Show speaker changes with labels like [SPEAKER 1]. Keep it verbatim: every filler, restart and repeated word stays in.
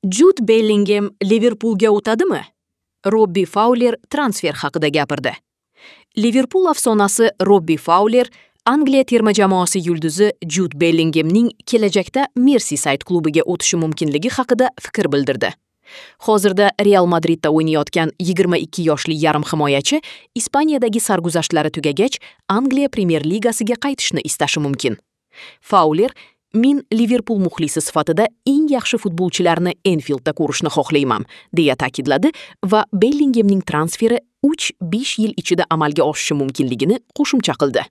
[SPEAKER 1] Jud Bellingem Liverpulga o'tadimi? Robbi Fauler transfer haqida gapirdi. Liverpul afsonasi Robbi Fauler Angliya terma jamoasi yulduzi Jud Bellingemning kelajakda Merseyside klubiga o'tishi mumkinligi haqida fikr bildirdi. Hozirda Real Madridda o'ynayotgan yigirma ikki yoshli yarim himoyachi Ispaniyadagi sarguzashtlari tugagach Angliya Premyer Ligasiga qaytishni istashi mumkin. Fauler: "Men Liverpul muxlisi sifatida eng yaxshi futbolchilarni Enfieldda ko'rishni xohlayman", deya ta'kidladi va Bellingemning transferi uch besh yil ichida amalga oshishi mumkinligini qo'shimcha qildi.